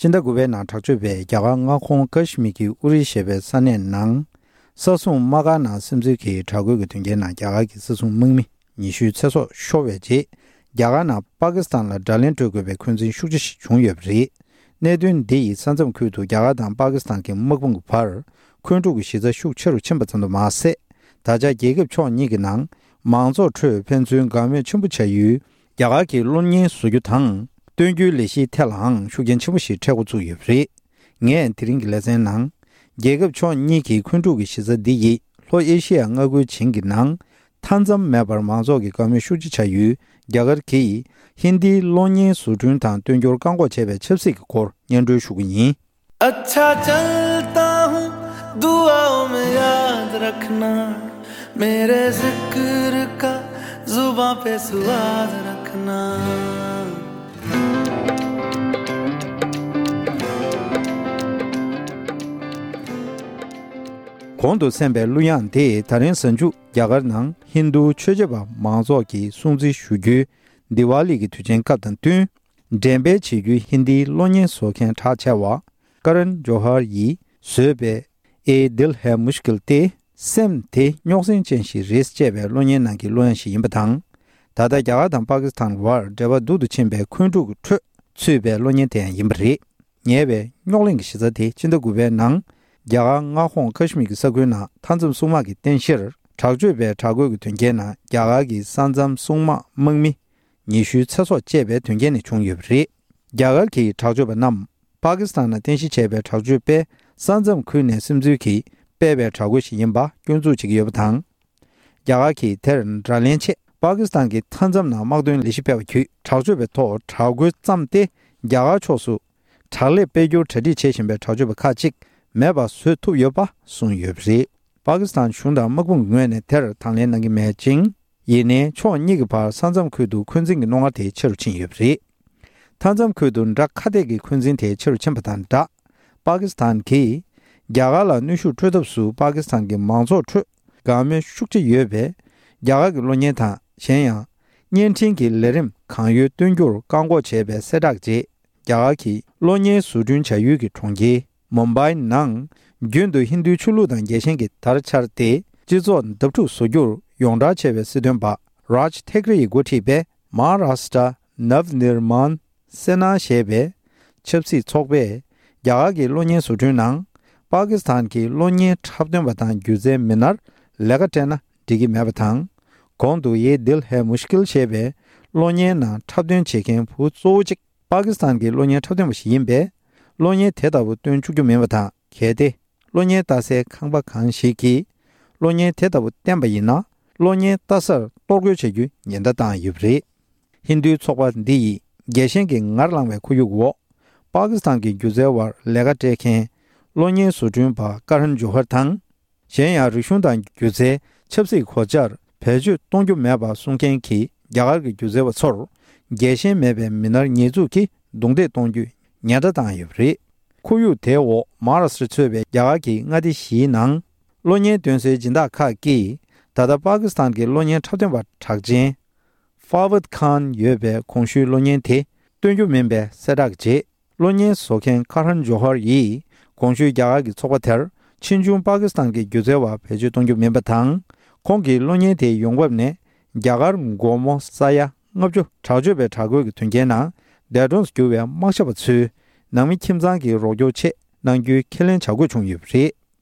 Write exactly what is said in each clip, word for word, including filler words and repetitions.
སྤྱི་ཟླ་དགུ་པའི་ནང་དྲག་སྤྱོད་པས་རྒྱ་གར་མངའ་ཁོངས་ཀ་ཤི་མིར་གྱི་ཨུ་རི་ཞེས་པའི་ས་གནས་ནང་ས་སྲུང་དམག་སྒར་ནང་སིམ་འཛུལ་གྱིས་དྲག་རྒོལ་གྱི་དོན་རྐྱེན་ནང་རྒྱ་གར་གྱི་ས་སྲུང་དམག་མི་ཉི་ཤུའི་ཚེ་སྲོག་ཤོར་བའི་རྗེས། རྒྱ་གར་ནང་པ་ཀི་སི་ཐན་ལ་དགྲ་ལན་སྤྲོད་དགོས་པའི་འཁོན་འཛིན་ཤུགས་ཆེ་ཞིག་བྱུང་ཡོད་པ་རེད། གནད་དོན་འདི་ཡིས་ས་མཚམས་ཁུལ་དུ་རྒྱ་གར་དང་པ་ཀི་སི་ཐན་གྱི་དམག་དཔུང་གི་བར་འཁོན་འཁྲུག་གི་གཞི་རྩ་ཤུགས་ཆེ་རུ་ཕྱིན་པ་ཙམ་དུ་མ་ཟད། ད་ཆ་རྒྱལ་ཁབ་ཕྱོགས་གཉིས་ཀྱི་ནང་མང་ཚོགས་ཁྲོད་ཕན་ཚུན་དགའ་མོས་ཆེན་པོ་བྱ་ཡུལ་རྒྱ་གར་གྱི་གློག་བརྙན་བཟོ་རྒྱུ་དང་སྟོན་རྒྱུའི་ལས་གཞིའི་ཐད་ལའང་ཤུགས་རྐྱེན་ཆེན་པོ་ཞིག་འཕྲད་འགོ་བཙུགས་ཡོད་པ་རེད། ངས་དེ་རིང་གི་ལེ་ཚན་ནང་། རྒྱལ་ཁབ་ཕྱོགས་གཉིས་ཀྱི་འཁོན་འཁྲུག་གི་གཞི་རྩ་འདི་ཡིས་ལྷོ་ཨེ་ཤི་ཡ་མངའ་ཁུལ་བྱིངས་ཀྱི་ནང་མཐའ་མཚམས་མེད་པར་མང་ཚོགས་ཀྱི་དགའ་མོས་ཤུགས་ཆེ་བྱ་ཡུལ་རྒྱ་གར་གྱིས་ཧིན་དིའི་གློག་བརྙན་བཟོ་སྐྲུན་དང་སྟོན་རྒྱུར་བཀག་འགོག་བྱས་པའི་ཆབ་སྲིད་ཀྱི་སྐོར་སྙན་སྒྲོན་ཞུ་གི་ཡིན། अच्छा चलता हूँ दुआओं में याद रखना मेरे जिक्र का जुबां पे स्वाद रखना གོང་དུ་གསན་པའི་གླུ་དབྱངས་དེ་ད་རིང་གཟའ་མཇུག་རྒྱ་གར་ནང་ཧིན་རྡུ་ཆོས་བྱེད་པ་མང་ཚོགས་ཀྱིས་སྲུང་བརྩི་ཞུ་རྒྱུའི་དི་ཝཱ་ལི་གི་དུས་ཆེན་སྐབས་དང་བསྟུན། འགྲེམས་སྤེལ་བྱེད་རྒྱུའི་ཧིན་དིའི་གློག་བརྙན་བཟོ་མཁན་གྲགས་ཆེ་བ་ཀ་རན་ཇོ་ཧར་ཡིས་བཟོས་པའི་ཨེ་དིལ་ཧེ་མུཤ་ཀིལ་ཏེ་སེམས་དེ་རྙོག་ཟིང་ཅན་ཞིག་རེད་ཅེས་པའི་གློག་བརྙན་ནང་གི་གླུ་དབྱངས་ཤིག་ཡིན་པ་དང་། ད་ལྟ་རྒྱ་གར་དང་པ་ཀི་སི་ཐན་བར་འབྲེལ་བ་སྡུག་ཏུ་ཕྱིན་པའི་འཁོན་འཁྲུག་གི་ཁྲོད་ཚུད་པའི་གློག་བརྙན་དེ་ཡང་ཡིན་པ་རེད། ཉེ་བའི་རྙོག་གླེང་གི་གཞི་རྩ་དེ་ཕྱི་ཟླ་དགུ་པའི་ནང་རྒྱ་གར་མངའ་ཁོངས་ཀ་ཤི་མིར་གྱི་ས་ཁུལ་ནང་མཐའ་མཚམས་སྲུང་དམག་གིས་རྟེན་གཞིར་དྲག་སྤྱོད་པའི་དྲག་རྒོལ་གྱི་དོན་རྐྱེན་ནང་རྒྱ་གར་གྱི་ས་མཚམས་སྲུང་དམག་དམག་མི་ཉི་ཤུའི་ཚེ་སྲོག་བཅད་པའི་དོན་རྐྱེན་ནས་བྱུང་ཡོད་པ་རེད། རྒྱ་གར་གྱི་དྲག་སྤྱོད་པ་རྣམས་པ་ཀི་སི་ཐན་ནང་རྟེན་གཞི་བྱས་པའི་དྲག་སྤྱོད་པས་ས་མཚམས་ཁུལ་ནས་སིམ་འཛུལ་གྱིས་སྤེལ་བའི་དྲག་རྒོལ་ཞིག་ཡིན་པ་སྐྱོན་འཛུགས་བྱེད་ཀྱི་ཡོད་པ་དང་། རྒྱ་གར་གྱིས་དེར་དགྲ་ལན་ཆེད་པ་ཀི་སི་ཐན་གྱི་མཐའ་མཚམས་ནང་དམག་དོན་ལས་གཞི་སྤེལ་བ་བརྒྱུད་དྲག་སྤྱོད་པའི་ཐོག་དྲག་རྒོལ་བརྩམས་ཏེ་རྒྱ་གར་ཕྱོགས་སུ་དྲག་ལས་སྤེལ་རྒྱུར་གྲ་སྒྲིག་བྱེད་བཞིན་པའི་དྲག་སྤྱོད་པ་ཁག་ཅིག་མེད་པ་བཟོ་ཐུབ་ཡོད་པ་གསུངས་ཡོད་པ་རེད། པ་ཀི་སི་ཐན་གཞུང་དང་དམག་དཔུང་གི་ངོས་ནས་དེར་དང་ལེན་གནང་གི་མེད་ཅིང་། ཡིན་ནའི་ཕྱོགས་གཉིས་ཀྱི་བར་ས་མཚམས་ཁུལ་དུ་འཁོན་འཛིན་གྱི་རྣོ་ངར་དེ་ཆེ་རུ་ཕྱིན་ཡོད་པ་རེད། མཐའ་མཚམས་ཁུལ་དུ་དགྲ་ཁ་གཏད་ཀྱི་འཁོན་འཛིན་དེ་ཆེ་རུ་ཕྱིན་པ་དང་སྦྲགས། པ་ཀི་སི་ཐན་གྱིས་རྒྱ་གར་ལ་གནོན་ཤུགས་སྤྲོད་ཐབས་སུ་པ་ཀི་སི་ཐན་གྱི་མང་ཚོགས་ཁྲོད་དགའ་མོས་ཤུགས་ཆེ་ཡོད་པའི་རྒྱ་གར་གྱི་གློག་བརྙན་དང་། གཞན་ཡང་། བརྙན་འཕྲིན་གྱི་ལས་རིམ་གང་ཡོད་སྟོན་རྒྱུར་བཀག་འགོག་བྱས་པའི་གསལ་བསྒྲགས་རྗེས། རྒྱ་གར་གྱི་གློག་བརྙན་བཟོ་སྐྲུན་བྱ་ཡུལ་གྱི་གྲོང་ཁྱེར་མུམ་བྷའི་ནང་རྒྱུན་དུ་ཧིན་རྡུའི་ཆོས་ལུགས་དང་རྒྱལ་ཞེན་གྱི་དར་འཕྱར་ཏེ་སྤྱི་ཚོགས་བརྡབ་འཁྲུག་བཟོ་རྒྱུར་ཡོངས་གྲགས་ཆེ་བའི་སྲིད་དོན་པ་རཱཇ་ཐེག་རེ་ཡིས་འགོ་ཁྲིད་པའི་མ་ཧཱ་རཱ་ཤི་ཏྲ་ནབ་ནིར་མཱན་སེ་ན་ཞེས་པའི་ཆབ་སྲིད་ཚོགས་པས་རྒྱ་གར་གྱི་གློག་བརྙན་བཟོ་སྐྲུན་ནང་པ་ཀི་སི་ཐན་གྱི་གློག་བརྙན་འཁྲབ་སྟོན་པ་དང་སྒྱུ་རྩལ་མི་སྣར་ལས་ཀ་སྤྲད་ན་འགྲིག་གི་མེད་པ་དང་། གོང་དུ་ཡེ་དིལ་ཧེ་མུཤ་ཀིལ་ཞེས་པའི་གློག་བརྙན་ནང་འཁྲབ་སྟོན་བྱེད་མཁན་བུ་གཙོ་བོ་གཅིག་པ་ཀི་སི་ཐན་གྱི་གློག་བརྙན་འཁྲབ་སྟོན་པ་ཞིག་ཡིན་པས། གློག་བརྙན་དེ་ལྟ་བུ་སྟོན་བཅུག་རྒྱུ་མིན་པ་དང་། གལ་ཏེ་གློག་བརྙན་ལྟ་སའི་ཁང་པ་གང་ཞིག་གིས་གློག་བརྙན་དེ་ལྟ་བུ་བསྟན་པ་ཡིན་ན། གློག་བརྙན་ལྟ་སར་གཏོར་རྒོལ་བྱ་རྒྱུའི་ཉེན་བརྡ་བཏང་ཡོད་པ་རེད། ཧིན་རྡུའི་ཚོགས་པ་འདི་ཡིས་རྒྱལ་ཞེན་གྱི་ངར་ལངས་པའི་ཁོར་ཡུག་འོག་པ་ཀི་སི་ཐན་གྱི་སྒྱུ་རྩལ་བར་ལས་ཀ་སྤྲད་མཁན་གློག་བརྙན་བཟོ་སྐྲུན་པ་ཀ་རན་ཇོ་ཧར་དང་། གཞན་ཡང་རིག་གཞུང་དང་སྒྱུ་རྩལ་ཆབ་སྲིད་གོ་ཆར་བེད་སྤྱོད་གཏོང་རྒྱུ་མེད་པ་གསུང་མཁན་གྱི་རྒྱ་གར་གྱི་སྒྱུ་རྩལ་བ་ཚོར་རྒྱལ་ཞེན་མེད་པའི་མི་སྣར་ཉེས་འཛུགས་ཀྱིས་རྡུང་རྡེག་གཏོང་རྒྱུའི་ཉེན་བརྡ་བཏང་ཡོད་པ་རེད། ཁོར་ཡུག་དེའི་འོག་མ་ཧཱ་རཱ་ཤི་ཏྲ་གཙོས་པའི་རྒྱ་གར་གྱི་མངའ་སྡེ་བཞིའི་ནང་གློག་བརྙན་སྟོན་སའི་སྦྱིན་བདག་ཁག་གིས་ད་ལྟ་པ་ཀི་སི་ཐན་གྱི་གློག་བརྙན་འཁྲབ་སྟོན་པ་གྲགས་ཅན་ཧྥ་ཝད་ཁཱན་ཡོད་པའི་གོང་ཞུས་གློག་བརྙན་དེ་སྟོན་རྒྱུ་མིན་པའི་གསལ་བསྒྲགས་རྗེས། གློག་བརྙན་བཟོ་མཁན་ཀ་རན་ཇོ་ཧར་ཡིས་གོང་ཞུས་རྒྱ་གར་གྱི་ཚོགས་པ་དེར་ཕྱིས་འབྱུང་པ་ཀི་སི་ཐན་གྱི་སྒྱུ་རྩལ་བ་བེད་སྤྱོད་གཏོང་རྒྱུ་མིན་པ་དང་། ཁོང་གིས་གློག་བརྙན་དེའི་ཡོང་འབབ་ནས་རྒྱ་གར་སྒོར་མོ་ས་ཡ་ལྔ་བཅུ་དྲག་སྤྱོད་པའི་དྲག་རྒོལ་གྱི་དོན་རྐྱེན་ནང་འདས་གྲོངས་སུ་གྱུར་བའི་དམག་ཞབས་པ་ཚོའི་ནང་མི་ཁྱིམ་ཚང་གི་རོགས་སྐྱོར་ཆེད་གནང་རྒྱུའི་ཁས་ལེན་བྱ་དགོས་བྱུང་ཡོད་པ་རེད།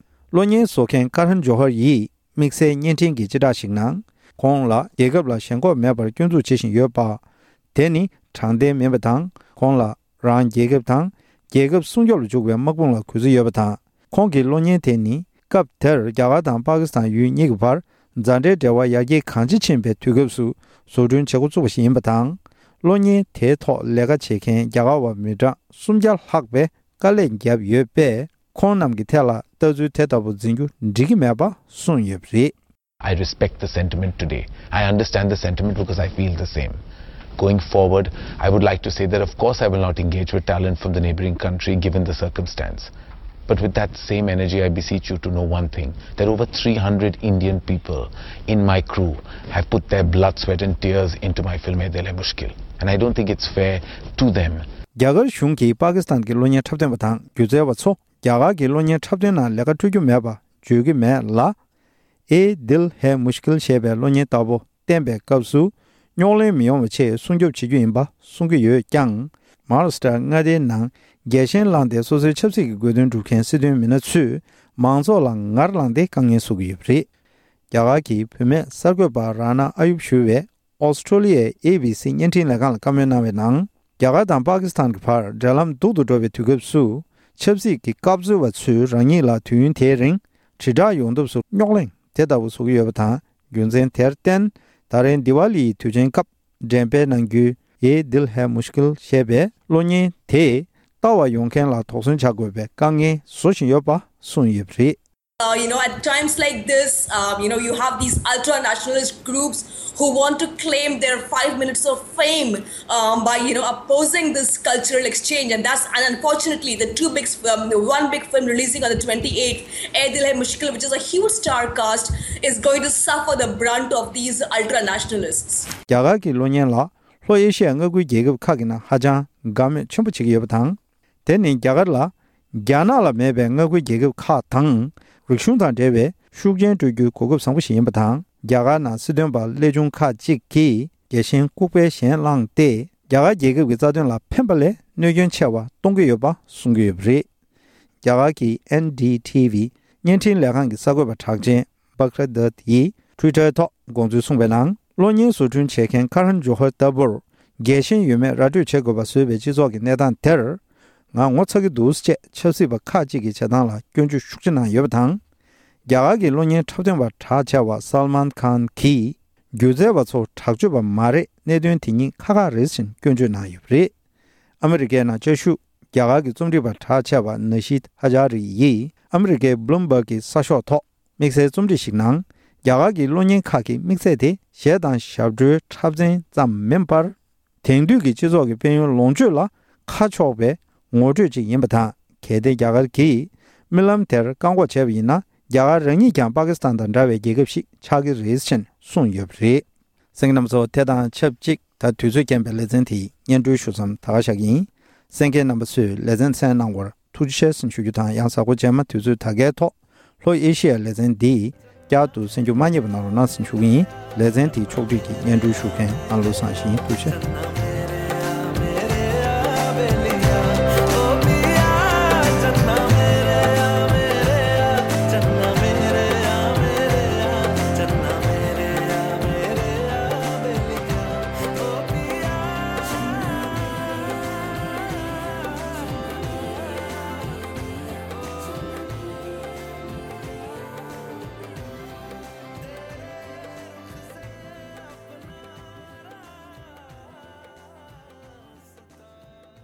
གློག་བརྙན་བཟོ་མཁན་ཀ་རན་ཇོ་ཧར་ཡིས་དམིགས་བསལ་བརྙན་འཕྲིན་གྱི་སྤྱི་བསྒྲགས་ཤིག་ནང་། ཁོང་ལ་རྒྱལ་ཁབ་ལ་ཞེན་ཁོག་མེད་པར་སྐྱོན་འཛུགས་བྱེད་བཞིན་ཡོད་པ། དེ་ནི་དྲང་བདེན་མིན་པ་དང་། ཁོང་ལ་རང་རྒྱལ་ཁབ་དང་རྒྱལ་ཁབ་སྲུང་སྐྱོབ་ལ་འཇུག་པའི་དམག་དཔུང་ལ་གུས་བརྩི་ཡོད་པ་དང་། ཁོང་གི་གློག་བརྙན་དེ་ནི་སྐབས་དེར་རྒྱ་གར་དང་པ་ཀི་སི་ཐན་ཡུལ་གཉིས་ཀྱི་བར་མཛའ་འབྲེལ་འབྲེལ་བ་ཡར་རྒྱས་གང་ཆེ་ཕྱིན་པའི་དུས་སྐབས་སུ་བཟོ་སྐྲུན་བྱེད་འགོ་བཙུགས་པ་ཞིག་ཡིན་པ་དང་། གློག་བརྙན་དེའི་ཐོག་ལས་ཀ་བྱེད་མཁན་རྒྱ་གར་བ་མི་གྲངས་སུམ་བརྒྱ་ལྷག་པས་དཀའ་ལས་བརྒྱབ་ཡོད་པས། ཁོང་རྣམས་ཀྱི་ཐད་ལ་ལྟ་ཚུལ་དེ་ལྟ་བུ་འཛིན་རྒྱུ་འགྲིག་གི་མེད་པ་གསུངས་ཡོད་པ་རེད། I respect the sentiment today. I understand the sentiment because I feel the same. Going forward, I would like to say that, of course, I will not engage with talent from the neighboring country given the circumstance. But with that same energy, I beseech you to know one thing, that over three hundred Indian people in my crew have put their blood, sweat, and tears into my film Ae Dil Hai Mushkil. And I don't think it's fair to them རྒྱ་གར་གཞུང་གིས་པ་ཀི་སི་ཐན་གྱི་གློག་བརྙན་འཁྲབ་སྟོན་པ་དང་སྒྱུ་རྩལ་བ་ཚོ་རྒྱ་གར་གྱི་གློག་བརྙན་འཁྲབ་སྟོན་ནང་ལས་ཀ་སྤྲོད་རྒྱུ་མེད་པ་བརྗོད་ཀྱི་མེད་ལ། ཨེ་དིལ་ཧེ་མུཤ་ཀིལ་ཞེས་པའི་གློག་བརྙན་ལྟ་བུ་བསྟན་པའི་སྐབས་སུ་རྙོག་གླེང་མི་ཡོང་བ་ཆེད་སྲུང་སྐྱོབ་བྱེད་རྒྱུ་ཡིན་པ་གསུང་གི་ཡོད་ཀྱང་། མ་ཧཱ་རཱ་སི་ཀྲ་མངའ་སྡེའི་ནང་རྒྱལ་ཞེན་བསླངས་ཏེ་སོ་སོའི་ཆབ་སྲིད་ཀྱི་དགོས་འདུན་སྒྲུབ་མཁན་སྲིད་དོན་མི་སྣ་ཚོས་མང་ཚོགས་ལ་ངར་བསླངས་ཏེ་དཀའ་ངལ་བཟོ་གི་ཡོད་པ་རེད། རྒྱ་གར་གྱི་བུད་མེད་གསར་འགོད་པ་རཱ་ན་ཨ་ཡུབ་ཞུ་བས་ཨོ་སི་ཀྲོ་ལི་ཡའི་ཨེ་བྷི་སི་བརྙན་འཕྲིན་ལས་ཁང་ལ་བཀའ་མོལ་གནང་བའི་ནང་། རྒྱ་གར་དང་པ་ཀི་སི་ཐན་གྱི་བར་འབྲེལ་ལམ་སྡུག་ཏུ་འགྲོ་བའི་དུས་སྐབས་སུ། ཆབ་སྲིད་ཀྱི་སྐབས་འཚོལ་བ་ཚོས་རང་ཉིད་ལ་དུས་ཡུན་དེའི་རིང་དྲིལ་བསྒྲགས་ཡོང་ཐབས་སུ་རྙོག་གླེང་དེ་ལྟ་བུ་བཟོ་གི་ཡོད་པ་དང་། རྒྱུ་མཚན་དེར་བརྟེན། ད་རིང་དི་ཝཱ་ལི་ཡི་དུས་ཆེན་སྐབས་འགྲེམས་སྤེལ་གནང་རྒྱུའི་ཨེ་དིལ་ཧེ་མུཤ་ཀིལ་ཞེས་པའི་གློག་བརྙན་དེས་ལྟ་བར་ཡོང་མཁན་ལ་དོགས་ཟོན་བྱ་དགོས་པའི་དཀའ་ངལ་བཟོ་བཞིན་ཡོད་པ་གསུངས་ཡོད་པ་རེད། Uh, you know, at times like this, um, you know, you have these ultra nationalist groups who want to claim their five minutes of fame, um, by, you know, opposing this cultural exchange. And that's, and unfortunately, the two big, um, one big film releasing on the twenty-eighth, Ae Dil Hai Mushkil, which is a huge star cast, is going to suffer the brunt of these ultra nationalists. རྒྱ་གར་གྱི་གློག་བརྙན་ལ་ལྷོ་ཨེ་ཤི་ཡའི་མངའ་ཁུལ་རྒྱལ་ཁབ་ཁག་གི་ནང་ཧ་ཅང་དགའ་མོས་ཆེན་པོ་བྱེད་ཀྱི་ཡོད་པ་དང་། དེ་ནི་རྒྱ་གར་ལ་རྒྱ་ནག་ལ་མེད་པའི་མངའ་ཁུལ་རྒྱལ་ཁབ་ཁག་དང་རིག་གཞུང་དང་འབྲེལ་བའི་ཤུགས་རྐྱེན་སྤྲོད་རྒྱུའི་གོ་སྐབས་བཟང་པོ་ཞིག་ཡིན་པ་དང་། རྒྱ་གར་ནང་སྲིད་དོན་པ་ཀླད་ཆུང་ཁག་ཅིག་གིས་རྒྱལ་ཞེན་ལྐུགས་པའི་ཞེན་བསླངས་ཏེ། རྒྱ་གར་རྒྱལ་ཁབ་ཀྱི་རྩ་དོན་ལ་ཕན་པ་ལས་གནོད་སྐྱོན་ཆེ་བ་གཏོང་གི་ཡོད་པ་གསུང་གི་ཡོད་པ་རེད། རྒྱ་གར་གྱི་ཨེན་ཌི་ཊི་ཝི་བརྙན་འཕྲིན་ལས་ཁང་གི་གསར་འགོད་པ་གྲགས་ཅན་པ་ཁྲ་དཱད་ཡིས་ཊུའི་ཊར་ཐོག་དགོངས་ཚུལ་གསུངས་པའི་ནང་། གློག་བརྙན་བཟོ་སྐྲུན་བྱེད་མཁན་ཁ་རན་ཇོ་ཧར་ལྟ་བུར་རྒྱལ་ཞེན་ཡོད་མེད་ར་སྤྲོད་བྱེད་དགོས་པ་བཟོས་པའི་སྤྱི་ཚོགས་ཀྱི་གནས་སྟངས་དེར་ང་ངོ་ཚ་གི་འདུག་ཅེས་ཆབ་སྲིད་པ་ཁག་ཅིག་གི་བྱེད་སྟངས་ལ་སྐྱོན་བརྗོད་ཤུགས་ཆེ་གནང་ཡོད་པ་དང་། རྒྱ་གར་གྱི་གློག་བརྙན་འཁྲབ་སྟོན་པ་གྲགས་ཆེ་བ་སལ་མཱན་ཁཱན་གྱིས་སྒྱུ་རྩལ་བ་ཚོ་དྲག་སྤྱོད་པ་མ་རེད། གནད་དོན་དེ་གཉིས་ཁ་ཁ་རེད་ཅེས་སྐྱོན་བརྗོད་གནང་ཡོད་པ་རེད། ཨ་མི་རི་ཀའི་ནང་བཅའ་བཞུགས་རྒྱ་གར་གྱི་རྩོམ་སྒྲིག་པ་གྲགས་ཆེ་བ་ན་ཤིད་ཧ་ཇཱ་རི་ཡིས་ཨ་མི་རི་ཀའི་བྷ་ལུམ་བྷག་གི་གསར་ཤོག་ཐོག་དམིགས་བསལ་རྩོམ་སྒྲིག་ཞིག་ནང་། རྒྱ་གར་གྱི་གློག་བརྙན་ཁག་གི་དམིགས་ཚད་དེ་གཞས་དང་ཞབས་བྲོའི་འཁྲབ་ཚན་ཙམ་མིན་པར། དེང་དུས་ཀྱི་སྤྱི་ཚོགས་ཀྱི་དཔལ་ཡོན་ལོངས་སྤྱོད་ལ་ཁ་ཕྱོགས་པའི་ངོ་སྤྲོད་ཅིག་ཡིན་པ་དང་། གལ་ཏེ་རྒྱ་གར་གྱིས་རྨི་ལམ་དེར་བཀག་འགོག་བྱས་པ་ཡིན་ན། རྒྱ་གར་རང་ཉིད་ཀྱང་པ་ཀི་སི་ཐན་དང་འདྲ་བའི་རྒྱལ་ཁབ་ཞིག་ཆགས་ཀྱི་རེད་ཅེས་གསུངས་ཡོད་པ་རེད། གསན་མཁན་རྣམ་པ་ཚོ། དེ་དང་ཆབས་ཅིག་ད་དུས་ཚོད་རྐྱེན་པས་ལེ་ཚན་དེ་སྙན་སྒྲོན་ཞུ་མཚམས་ད་ག་བཞག་གི་ཡིན། གསན་མཁན་རྣམ་པ་ཚོས་ལེ་ཚན་གསན་གནང་བར་ཐུགས་རྗེ་ཆེ་ཞུ་རྒྱུ་དང་། ཡང་གཟའ་འཁོར་རྗེས་མ་དུས་ཚོད་ད་གའི་ཐོག་ལྷོ་ཨེ་ཤི་ཡའི་ལེ་ཚན་འདི་བསྐྱར་དུ་གསན་རྒྱུ་མ་བསྙེལ་བ་གནང་རོགས་གནང་ཞུ་གི་ཡིན། ལེ་ཚན་དེའི་ཕྱོགས་སྒྲིག་གིས་སྙན་སྒྲོན་ཞུ་མཁན་ཨ་ལོ་བཟང་ཞིང་། ཐུགས་རྗེ་ཆེ།